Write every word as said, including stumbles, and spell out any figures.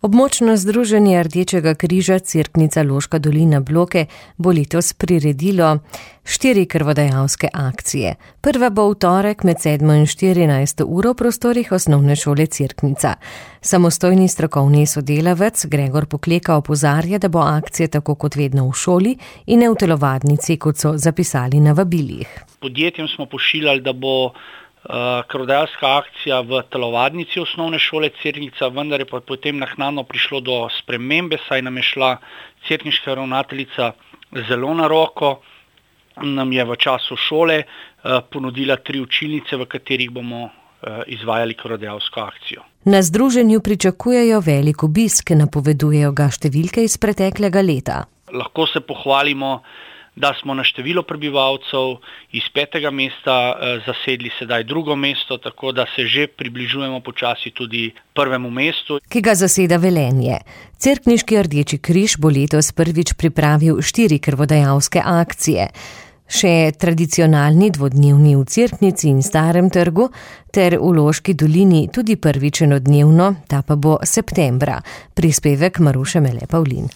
Območno združenje Rdečega križa Cerknica Loška dolina Bloke bo letos priredilo štiri krvodajalske akcije. Prva bo v torek med sedmo in štirinajsto uro v prostorih osnovne šole Cerknica. Samostojni strokovni sodelavec Gregor Pokleka opozarja, da bo akcija tako kot vedno v šoli in ne v telovadnici, kot so zapisali na vabilih. Podjetjem smo pošiljali, da bo Uh, krvodajalska akcija v telovadnici osnovne šole Cerknica, vendar je pa potem naknadno prišlo do spremembe, saj nam je šla cerkniška ravnateljica zelo na roko, nam je v času šole uh, ponudila tri učilnice, v katerih bomo uh, izvajali krvodajalsko akcijo. Na združenju pričakujejo velik obisk, napovedujejo ga številke iz preteklega leta. Lahko se pohvalimo, da smo na število prebivalcev iz petega mesta eh, zasedli sedaj drugo mesto, tako da se že približujemo počasi tudi prvemu mestu, ki ga zaseda Velenje. Cerkniški Rdeči križ bo letos prvič pripravil štiri krvodajalske akcije. Še tradicionalni dvodnevni v Cerknici in Starem trgu ter v Loški dolini tudi prvič enodnevno, ta pa bo septembra. Prispevek Maruše Mele Pavlin.